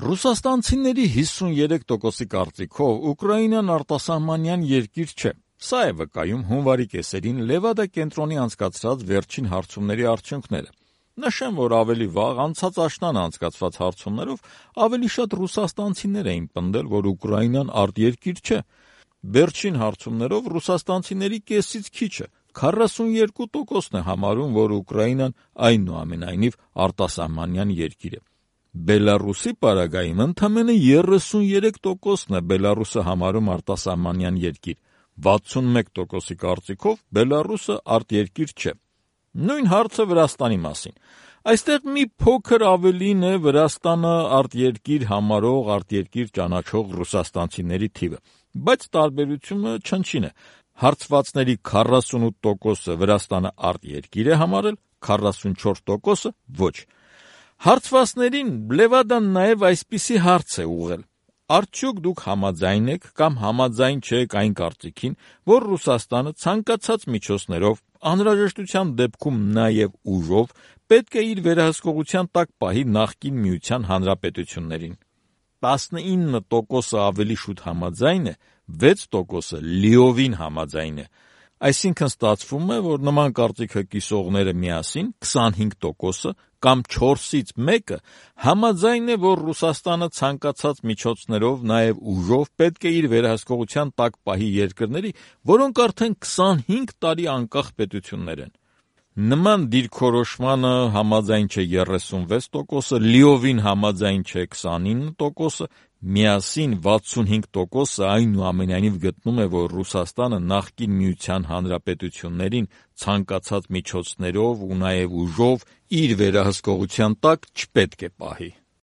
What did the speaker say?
Ռուսաստանցիների 53%-ի կարծիքով Ուկրաինան արտասահմանյան երկիր չէ։ Սա է վկայում հունվարի կեսերին Լևադա կենտրոնի անցկացրած վերջին հարցումների արդյունքները։ Նշեմ, որ ավելի վաղ անցած աշնանը անցկացված հարցումներով ավելի շատ ռուսաստանցիներ էին պնդել, որ Ուկրաինան արտերկիր չէ։ Վերջին հարցումներով ռուսաստանցիների կեսից քիչը 42%-ն է համարում, որ Ուկրաինան այնուամենայնիվ արտասահմանյան երկիր է։ Բելարուսի պարագայում ընդամենը 33%-ն է Բելարուսը համարում արտասահմանյան երկիր, 61%-ի կարծիքով Բելարուսը արտերկիր չէ։ Նույն հարցը Վրաստանի մասին։ Այստեղ մի փոքր ավելին է Վրաստանը արտերկիր համարող, արտերկիր ճանաչող ռուսաստանցիների թիվը, բայց տարբերությունը չնչին է։ Հարցվածների 48%-ը Վրաստանը արտերկիր է համարել, 44%-ը ոչ։ Հարցվածներին Լևադան նաև այսպիսի հարց է ուղղել. արդյոք դուք համաձայն եք կամ համաձայն չեք այն կարծիքին, որ Ռուսաստանը ցանկացած միջոցներով, անհրաժեշտության դեպքում նաև ուժով, պետք է իր վերահսկողության տակ պահի նախկին Միության հանրապետություններին։ 19%-ը ավելի շուտ համաձայն է, 6%-ը լիովին համաձայն է։ Այսինքն ստացվում է, որ նման կարծիքը կիսողները միասին 25%-ը կամ 4-ից 1-ը համաձայն է, որ Ռուսաստանը ցանկացած միջոցներով, նաև ուժով պետք է իր վերահսկողության տակ պահի երկրների, որոնք արդեն 25 տարի անկախ պետություններ են։ Նման դիրքորոշմանը համաձայն չէ 36%-ը, լիովին համաձայն չէ 29%-ը, միասին 65%-ը այնուամենայնիվ գտնում է, որ Ռուսաստանը նախկին Միության հանրապետություններին ցանկացած միջոցներով ու նաև ուժով իր վերահսկողության տակ չպետք է պահի։